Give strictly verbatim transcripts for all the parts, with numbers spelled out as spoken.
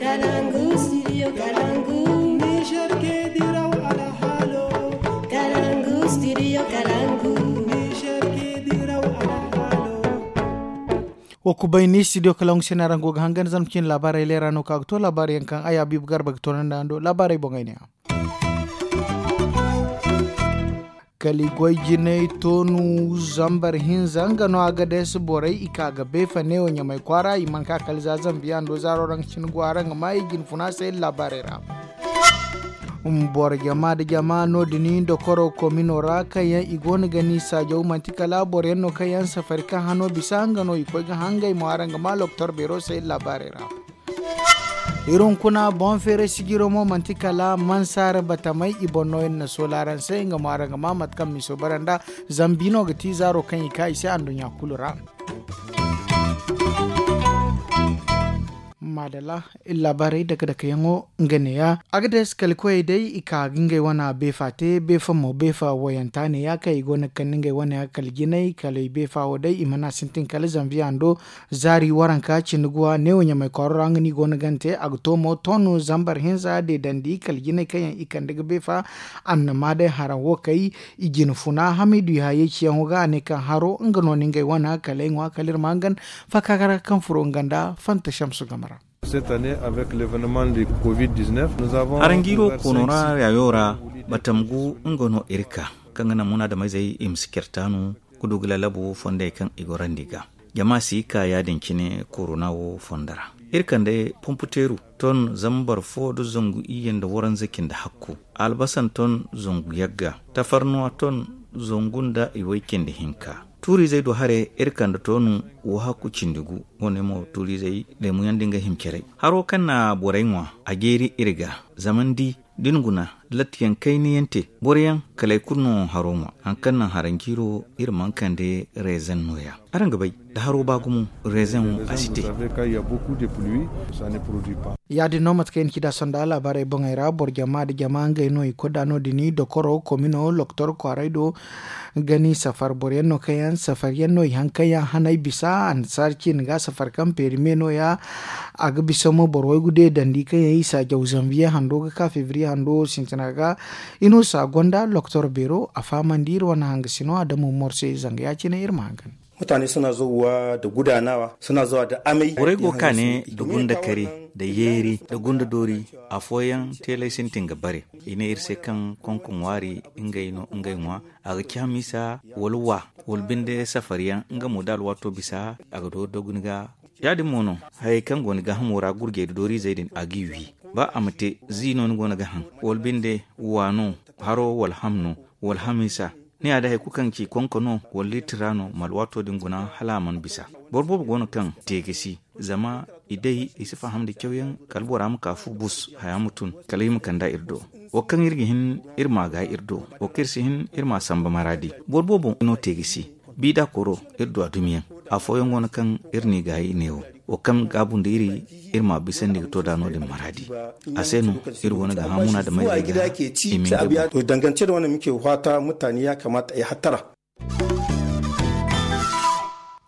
Kalangu, studio Kalangu. Niger ke diraw alhalo. Kalangu, studio Kalangu. Niger ke diraw alhalo. Wo kubay ni studio Kalangu se no araŋ go ga hangan zama cine laabaarey leera no ka ga to laabaarey yaŋ kaŋ ay Habiibu Garba ga toonandi araŋ do laabaarey boŋey ne. Kala i goy jinay toonu zambar hinza nga no a ga deesi borey i ka ga beefa neewo ɲamay kwaara i mana ka kala za zambiya ndo zaaro ra nga cine go a ra nga ma i jine funa se iri laabaarey ra. Boro jama nda jama no- din dokoro komino ra kaŋ yaŋ i go no ga ni saajaw manti kala boro yaŋ no kaŋ yaŋ safari kaŋ hano bisa nga no i koy ga hangay mo a ra nga ma loktor beero se iri laabaarey ra. Iri hunkuna boŋ feeray sijiro mo manti kala mansaara batamay i boŋ no iri na soola araŋ se nga mo araŋ ga ma mate kaŋ miso bara nda zambi no ga ti zaaro kaŋ i ka i se anduɲɲa kulu ra. Maadalla. Iri laabaarey dake-dake yaŋo nga neeya a ga deesi kala koyey day i ka ga ngey wane beefa te beefa mo beefa wayanta neeya kaŋ i go no ga kande ngey wane kala jinay kala i beefa wo day i mana sintin kala zambiya ndo zaari waranka cindi guwa neewo ɲamay kwaaro ra nga no i go no gante a ga to mo ton zambar hinza deedandi kala jinay kaŋ yaŋ i kande ga beefa annama day haraŋ wo kay i jine funa hamidu yahaya ciyaŋo ga a ne kaŋ haro nga no ni ngey wane kala ay ŋwa kala iri ma hangan fakakara kaŋ furo nga nda fanta shamsu game ra. Haranjiiro koono ra yaayo ra batam gu nga no iri ka kaŋ ga naŋ munaadameyzey i ma si care taanu ga du ga lalabu fondey kaŋ i gorandi ga jama si ka ya- din cine korona wo fondo ra. Iri kande pomputeeru ton zambar fo nda zangu iyye nda waranza cindi hakku albasan ton zangu yagga tafarnuwa ton zangu nda iway cindi hinka. Tuuriizey do haray iri kande toonu wo hakku cindi gu. Wo- ne mo tuuriizey leemu yaŋ da nga hima care haro kaŋ na borey ŋwa a jeeri iri ga zama ni di da ni guna latti yaŋ kayna yaŋ te boro yaŋ kala ay kulu no haro ŋwa hari kaŋ naŋ haranjiiro iri mana kande reezaŋ nooya. Araŋ ga bay da haro ba gumo reezaŋo a si te. Ya- din no mate kaŋ i na ci nd'a sonda laabaarey boŋey ra boro jama nda jama ngey no i koy nd'a no- din dokoro komino loktor kwaaray do ga ni safar boro yaŋ no kaŋ yaŋ safar yaŋ no i haŋ kaŋ yaŋ hanay bisa annasaara ciine ga safar kaŋ peeri me nooya. A ga bisa mo boro waygu deedandi kaŋ yaŋ i saajaw zanbiye hando ga ka febriye hando sintina ga. Inosa gonda loktor beero a fahamandi iri wane hangasino adama morse zanga ya- cine iri ma hangan. Mutane suna zauwa da gudanawa suna zauwa da amai. Borey go kaane da gunda kare da yeeri da gunda doori. Afooyaŋ teelay sintin ga bare i ne iri se kaŋ konko ŋwaari ngey no ngey ŋwa a ga ci hamiisa wala wa wala binde safariyaŋ nga mo da alwaato bisa a ga doori doguni ga. Ya- din mo no hayey kaŋ go ni gaahamo ra gurjey da dooriizey din a g'i wi ba a ma te zi no ni go no ga haŋ wala binde wa no haro wala ham no wala hamiisa. Ni ya day hari kulu kaŋ ga ci konko no wala liitira no ma alwaato din guna hala a mana bisa. Boro boobo go no kaŋ te ga si zama i day i si faham nda cawyaŋ kala bora ma ka fu bus haya ma tun kala i ma kand'a iri do. Wo kaŋ iri ga hin iri m'a gaay iri do wo kaŋ iri si hin iri m'a samba maraadi. Boro boobo no te ga si bi da koro iri du a dumiyaŋ. Afooyaŋ go no kaŋ iri n'i gaay neewo wo kaŋ gaabu nda iri iri m'a bisandi ga to da no- din maraadi. A se no iri go no ga hã munaadamey ga i ma ngey boŋ. Dangance da wane muke fata mutane ya kamata ay hattara.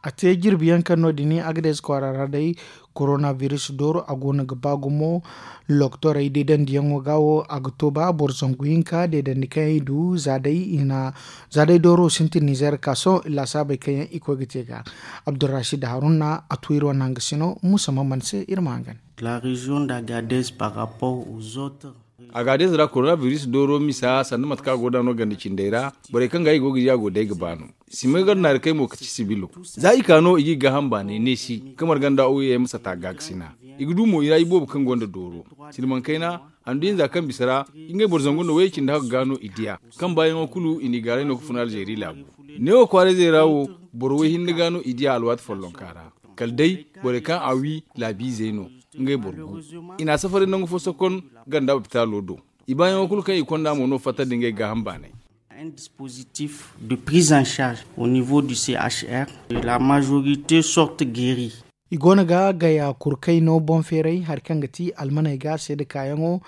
A te jirbi yaŋ kaŋ no- din agades kwaara ra day korona biris dooro a go no ga ba gumo. Loktorey deedandiyaŋo ga wo a ga to ba boro zangu hinka deedandi kaŋ i du za day i na za day dooro sintin nizer ka sohõ laasaabey kaŋ yaŋ i koy ga te ga. Abdurrashid haruna a tu iri wane hangasino musa maman se iri ma hangan. La région d'agades par rapport aux autres. Agades ra korona biris dooro misa sanda mate kaŋ a go da no ganda cindey ra. Borey kaŋ ga i go ga di a go day ga ba no. Sima gar naari kay mo ka ci sibilo za i ka no i ga i gaaham baanay neesi ka marganda ouyey ma sata gaakasina. I ga du mo i ra iboobo kaŋ gonda dooro. Silmankayna handu hinza kaŋ bisa ra ngey boro zangu nda wayey cindi hagu ga no i diya. Kaŋ baayaŋo kulu i n'i gaaray no ka fun alzeeri laabu. Neewo kwaarayzey ra wo boro way hinne ga no i diya alwaati follonka ra. Kala day borey kaŋ a wi laabiizey no. Ngey boro gu i n'a safari nangu fo sokon ganda lopitaalo do. I baayaŋo kulu kaŋ i konda mo no fatta nda ngey gaaham baanay. Un dispositif de prise en charge au niveau du c h r. La majorité sorte guéri. I go no ga gaya kurkay no boŋ feeray hari kaŋ ga ti almaney ga seede kaayaŋo.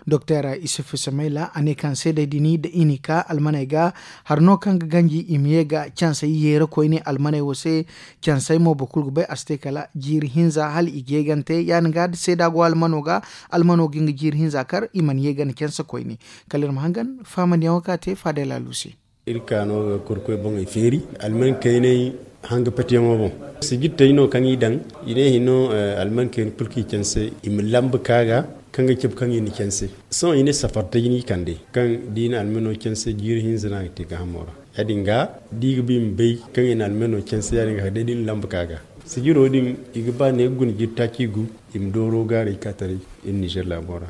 Doktor isuf samayla a ne kaŋ seedey din da i n'i ka almaney ga hari no kaŋ ga ganji i ma ye ga cansey yeera koyne almaney wo se. Cansey mo boro kulu ga bay a si te kala jiiri hinza hala i ga ye ga ni te ya- din ga da seeda go almano ga, almano ga nga jiiri hinza kar i mana ye ga ni canse koyne. Kala iri ma hangan faamandiyaŋo kaŋ a te faadey laalu se. Iri ka no ga kurkoy boŋey feeri alman kayney hanga patiyaŋo boŋ. Sijirtey no kaŋ i daŋ i ne hino alman kayna kulu kaŋ i canse i ma lamba ka ga kaŋ ga cabe kaŋ i na canse. Sohõ i ne safartey no i kande kaŋ da i na almano canse jiiri hinza no a ga te gaahamo ra. Ya- din ga da i ga ba i ma bay kaŋ i na almano canse ya- din ga kala day da i na lamba ka ga. Sijiro din i ga ba ne ga guna jiiri taaci gu i ma dooro gaaray ka taray iri nizer laabo ra.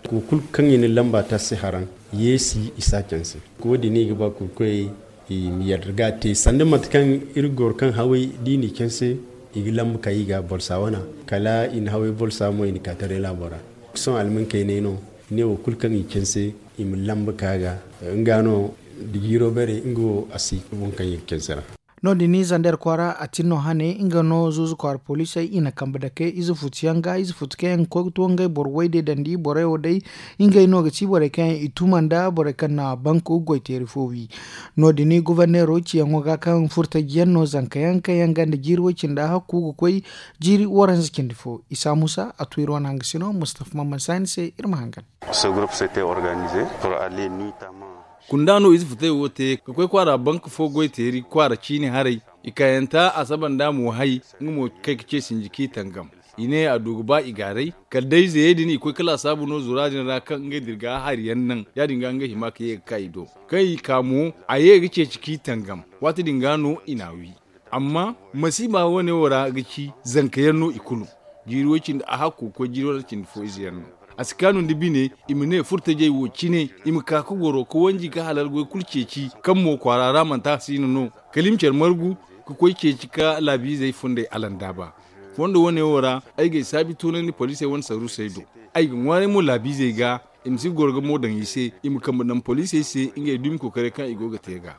Ko kulu kaŋ i na lamba taasi haraŋ yeesi i si a canse. Wo- din no i ga ba kurkoyey i ma yadda ga a te sanda mate kaŋ iri goro kaŋ haway da i n'i canse i ga lamba ka i ga bolsa wana kala i na haway bolsa mo i na ka taray laabo ra. Sohõ alman kayney no i ne wo kulu kaŋ i canse i ma lamba ka ga. Nga no da jiiro bare nga wo a si boŋ kaŋ i ga canse ra. No- din zander kwaara a tin no hane nga no zuuzu kwaara poliisey i na kambe dake ize futu yaŋ ga ize futu kaŋ yaŋ ga koy ga to ngey boro wayday dandi borey wo day. Ngey no ga ti borey kaŋ yaŋ i tuma nda borey kaŋ na bank goyteeri fo wi. No- din goborneero ciyaŋo ga kaŋ furtaji yaŋ no zanka yaŋ kaŋ yaŋ ganda jiiri way- cindi hakku ga koy jiiri waranza cindi fo isa muusa a tu iri wane hanga sino mustafa mamman saani se iri ma hangan. Kunda no ize futay wo te ga koy kwaara bank fo goy teeri kwaara ciine haray i kaayanta a saba nda mo hay nga mo kay ga ce sinji kaŋ i tangam. I ne a du ga ba i gaaray kala day zayey din i koy kala a saabu no zura din ra kaŋ ngey din ga hari yaŋ naŋ ya- din ga ngey hima ka ye ga ka i do. Kaŋ i ka mo a ye ga ceeci kaŋ i tangam. Waati din ga no i n'a wi. Amma masiiba wane wo ra ga ci zanka yaŋ no i kulu. Jiiri way- cindi a hakko ga koy jiiri wane cindi fo ize yaŋ no. A si kaanu nda bine i ma ne furtajey wo cine i ma ka ga goro ga wanji ga halal goy kulu ceeci kaŋ mo kwaara ra manti a si no no. Kala i ma care margu ga koy ceeci ka laabiizey fundey alandaaba. Fondo wane wo ra ay ga ay saabi tunandi poliisey wane saruusey do. Ay ga ŋwaaray mo laabiizey ga i ma si goro ga mo daŋ i se i ma kambe daŋ poliisey se ngey dumi kookaray kaŋ i go ga te ga.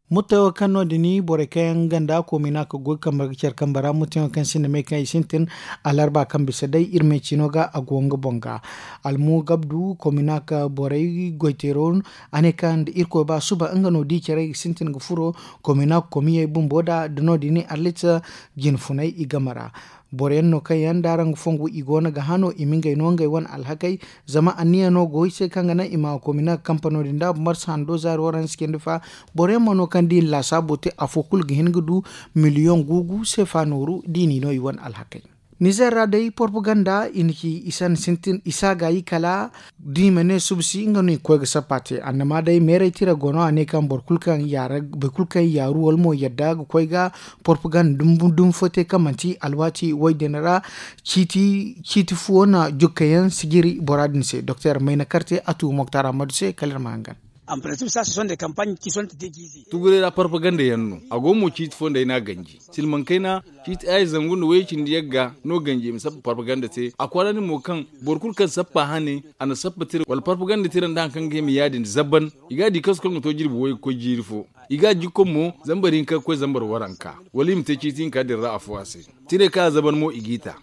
Murtay wo kaŋ no- din borey kaŋ yaŋ ganda koomina ka goy kambe ga care kambe ra murtay wo kaŋ sinda me kaŋ i sintin. Alarba kaŋ bisa day iri me ciino ga a go nga boŋ ga. Almu gabdu koomina ka borey goyteero a ne kaŋ da irkoy ba suba nga no di care i ga sintin ga furo koomina koomiyey bumbo da da no- din arlit jine funay i game ra. Boro yaŋ no kaŋ yaŋ da araŋ ga fongu i go no ga hano i ma ngey no ngey wane alhakey. Zama anniya no go i se kaŋ ga naŋ i ma koomina ga kampano din da marsa hando zaari waranza cindi fa. Boro yaŋ mo no kaŋ da i na laasaabo te afo kulu ga hin ga du miliyoŋ guugu seefa nooru da i n'i no i wane alhakey. Nizer ra day porpaganda i na ci i san sintin i si a gaayi kala da i ma ne suba si nga no i ga koy ga sappa te annama day meeray tira go no a ne kaŋ boro kulu kaŋ yaaru wala mo yadda ga koy ga porpaganda dumi fo te kaŋ manti alwaati way din ra. Ciiti fuwo na jukka yaŋ sijiri bora din se doktor mayna karte a tu moktar ammadu se kala iri ma hangan. Tuguray ra parpaganda yaŋ no a go mo ciiti fo nd'ay no a ganji silmaŋ kayna. Ciiti aya zangu nda wayey cindi yagga no ganji i ma sappa parpaganda te a kwaara ni mo kaŋ boro kulu kaŋ sappa hane a na sappa tira wala parpaganda tira nda hari kaŋ ga hima ya- din zaban. I ga a di kasu kaŋ ga to jirbi wayey ga koy jiiri fo. I ga a jikko mo zambar hinka ga koy zambar waranka wala i ma te ciiti hinka din ra afo a se. Tiray kaŋ a zaban mo i g'i ta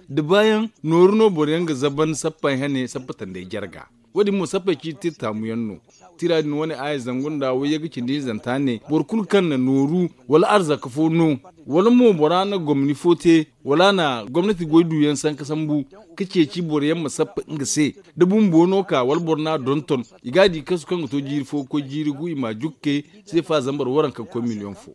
da baayaŋ nooru no boro yaŋ ga zaban sappey hane sappa tanday jarga. Wo- din mo sappey ciiti tira taamu yaŋ no. Tira din wane aya zangu nda wayye ga cindi hinzanta ne boro kulu kaŋ na nooru wala arzaka fo no wala mo bora na gomni fo te wala a na gomnati goy duyaŋ sanka sambu ka ceeci boro yaŋ ma sappa nga se. Da bumbo no ka wala boro no a donton i ga a di kasu kaŋ ga to jiiri fo ga koy jiiri gu i ma a jukke seefa zambar waranka ga koy miliyoŋ fo.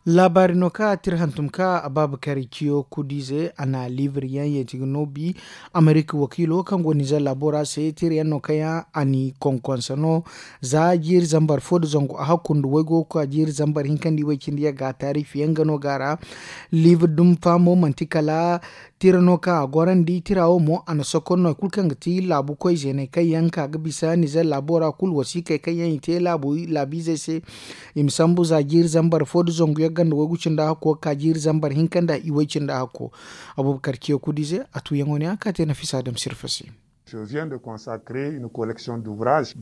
Laabaari no kaŋ a tira hantum ka abaabakari ciyo kudiize a na liibir yaŋ yeeti ga no bi. Amerika wakiilo kaŋ go nizer laabo ra se tira yaŋ no kaŋ yaŋ a n'i konkonse no. Za jiiri zambar fo nda zangu a hakku nda waygo ga ka jiiri zambar hinka nda iway cindi yagga taariifi yaŋ ga no ga a ra. Liibir dumi faamo manti kala tira no kaŋ a gorandi tira wo mo a na sokon no hari kulu kaŋ ga ti laabu koy zeeney kaŋ yaŋ ka ga bisa nizer laabo ra kulu wasiikey kaŋ yaŋ i te laabiizey se. I ma sambu za jiiri zambar fo nda zangu yagga nda waygu cindi a hakko ga ka jiiri zambar hinka nda iway cindi a hakko. Abubakar ciyo kudiize a tuuyaŋo ne a ka te nafisa adama sirfa se.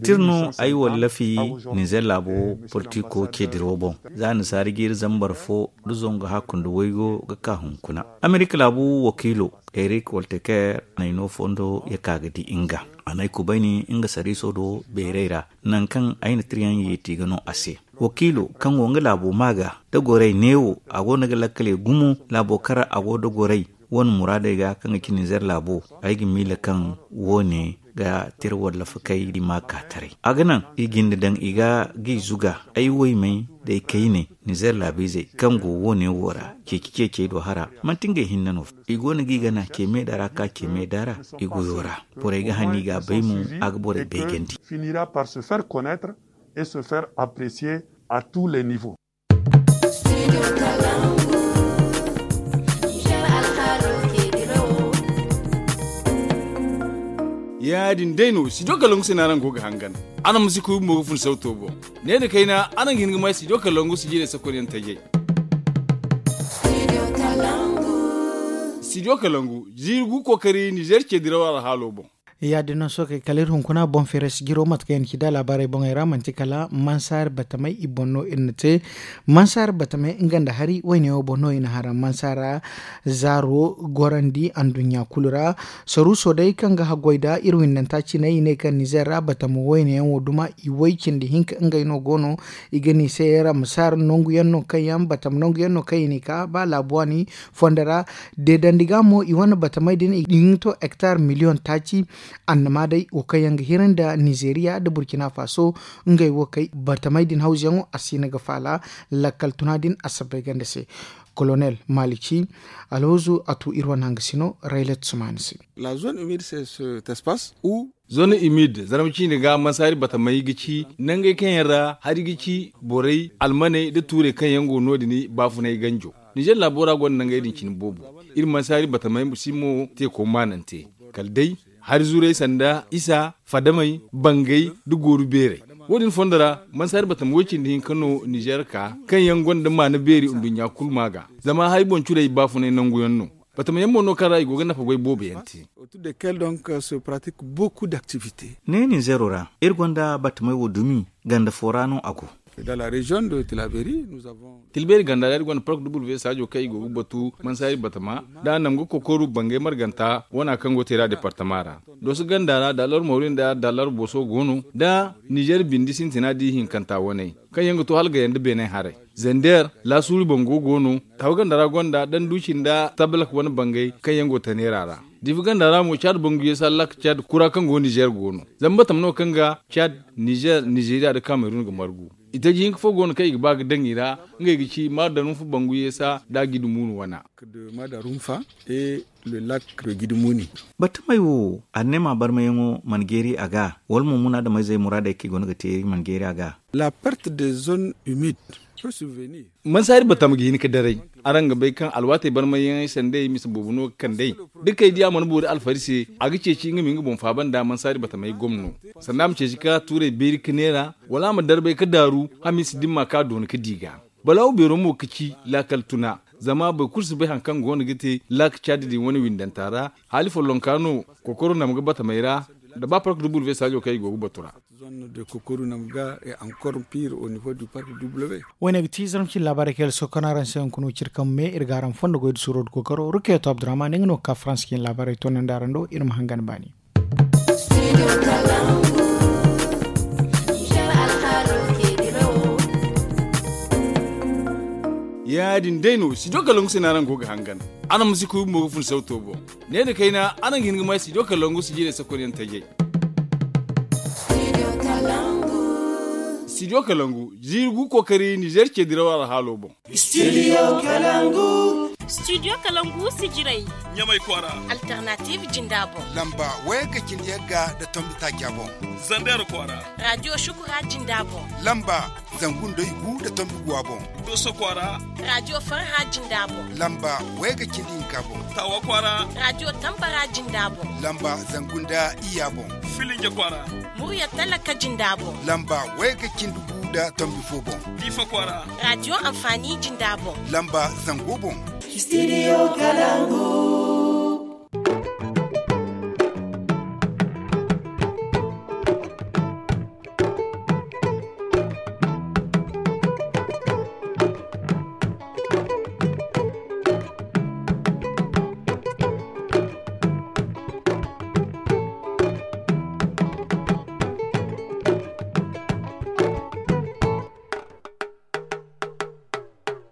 Tir no ay wallafi ninzeer laabo politiko ceediro boŋ. Za ni saari jiiri zambar fo nda zangu hakku nda waygo ga ka hunkuna, amerika laabu wakiilo erik walteker a na ay no fondo ya ka ga di nga. A na ay kubayni nga sariiso do beeray ra, nangu kaŋ ay na tiryaŋ yeeti ga no a se. Wakiilo kaŋ go nga laabo maa ga da gorey neewo a go no ga lakkaley gumo laabo kaŋ ra a go da gorey wane muraadey ga kaŋ ga ci ninzeer laabo. Ay ga miila kaŋ woone ga tira wallafakey di maa ka taray a ga naŋ i jinde daŋ i ga g'i zuga. Ay waymey da ay kayney ninzeer laabiizey kaŋ go woone wo ra ceeci ceecey do hara manti ngey hinne no. I go no g'i gana ce meeda ra ka ce meeda ra i goyo ra. Borey ga hanni i ga a bay mo a ga borey beejandi. Finira par se faire connaître et se faire apprécier à tous les niveaux. Ya- din day no studio kalangu se no araŋ go ga hangan. Araŋ ma si kuy bumbo ga fun sauto boŋ. Ne nda kayna araŋ ga hin ga may studio kalangu si jiirey sakonyaŋ tajay. Studio kalangu jiiri gu kookari nizer ce diraw alhaalo boŋ. Ya- din no sookey kala iri hunkuna boŋ feeray si jiro mate kaŋ yaŋ ci da laabaarey boŋey ra manti kala mansaari batamey i boŋ no iri na te. Mansaari batamey nga nda hari wayne wo boŋ no i na hara mansaara zaaro gorandi anduɲɲa kulu ra. Saruuso day kaŋ ga haggoy nda iri windanta cinay i ne kaŋ nizer ra batama wayne yaŋ wo duma i way cindi hinka ngey no go no. I ga ni se ramsaar nangu yaŋ no kaŋ yaŋ batama nangu yaŋ no kaŋ i n'i ka ba laabu waani fondo ra. Deedandi ga mo i wane batamey din i ga hin ga to hektar miliyoŋ taaci. Annama day wo kaŋ yaŋ ga hira nda nizeeriya nda burkina faso ngey wo kay batamey din hawzuyaŋo a si hin ga faala. Lakkal tuna din a sabbay ganda se. Kolonel malici alhoozu a tu iri wane hangasino raylet sumaani se. La zone humide c'est cet espace où zone humide zarma ciine ga mansaari batamey ga ci nangey kaŋ yaŋ ra hari ga ci borey almaney nda tuurey kaŋ yaŋ go no- din baafunay ganjo. Nizer laabo ra gonda nangey din cine boobo. Iri mansaari batamey si mo teeko maanante kala day hari zuray sanda isa fadamey bangay nda gooru beerey. Wo- din fondo ra mansaari batama way cindi hinka no nizer ka kaŋ yaŋ gonda maana beeri nduɲɲa kulu maa ga. Zama hari boŋ curey baafunay nangu yaŋ no. Batama yaŋ mo no kaŋ ra i go ga nafa goy boobo yaŋ te. Ne ninzero ra iri gonda batamey wo dumi ganda fo ra no a go. Tilbeeri ganda ra iri gonda park w saajo kaŋ i go ga batu mansaari batama nda a nam ga kokoru bangay marganta wana kaŋ go teera departama ra. Dooso ganda ra daalar moori nda daalar booso go no nda nizer bindi sintina da i hinkanta waney kaŋ yaŋ ga to hala gayanda beenay haray. Zender laasuuri bango go no. Tawa ganda ra gonda danduci nda tabalak wane bangay kaŋ yaŋ go taneera ra. Diifa ganda ra mo caad bangu yeesa lak caad kura kaŋ go nizer go no. Zama batama no kaŋ ga caad, nizer, nizeriya nda kamerun ga margu. Itaji hinka fo go no kaŋ i ga ba ga daŋ i ra. Ngey ga ci maardanunfa bangu yeesa nda gidimunu wana. Batamey wo a ne ma barmayaŋo mana geeri a ga wala mo munaadameyzey muraadey kaŋ i go no ga te iri mana geeri a ga. La perte de zone humide. Mansaari batama ga hin ga daray. Araŋ ga bay kaŋ alwaatey barmayyaŋey sanday mise boobo no ga kand'ey. Da kay di a mana boori alfari se a ga ceeci nga ma nga boŋ faaba nda mansaari batamey gomno. Sanda a ma ceeci ka tuurey beeri ka neera wala a ma darbay ka daaru hamiisa dimma kaŋ a doona ka di ga. Balaawo beero mo ga ci laakal tuna. Zama boro kulu si bay hari kaŋ go no ga te laaka caadi din wane windanta ra. Haali follonka no kokoro nam ga batamey ra. Da ba park dubu saajo kaŋ i go ga batu ra. Wayne ga ti zarma cine laabaarey kaŋ yalla sohõ kaŋ araŋ se hunkuna wo cire kaŋ me iri ga araŋ fondo goy da suuro da kokoro rukeeto abdurrahman nga no ga ka farans cine laabaarey toonandi araŋ do iri ma hangan baani. Ya- din day no studio kalangu se no araŋ go ga hangan. Araŋ ma si kuy bumbo ga fun sauto boŋ. Ne nda kayna araŋ ga hin ga may studio kalangu si jiirey sakonyaŋ tajay. Studio kalangu jiiri gu kookari nizer ce diraw alhaalo boŋ. Studio kalangu. Studio kalangu sijirey. Ɲamay kwaara. Alternative jinda boŋ. Lamba waya ga cindi yagga nda tombi taaca boŋ. Zander kwaara. Radio shukura jinda boŋ. Lamba zangu nda igu nda tombi guwa boŋ. Doso kwaara. Radio farha jinda boŋ. Lamba waya ga cindi hinka boŋ. Tawa kwaara. Radio tambara jinda boŋ. Lamba zangu nda iya boŋ. Filinja kwaara. Murya talaka jinda boŋ. Lamba waya ga cindi gu nda tombi fo boŋ. Diifa kwaara. Radio amfani jinda boŋ. Lamba zango boŋ. Studio kalangu.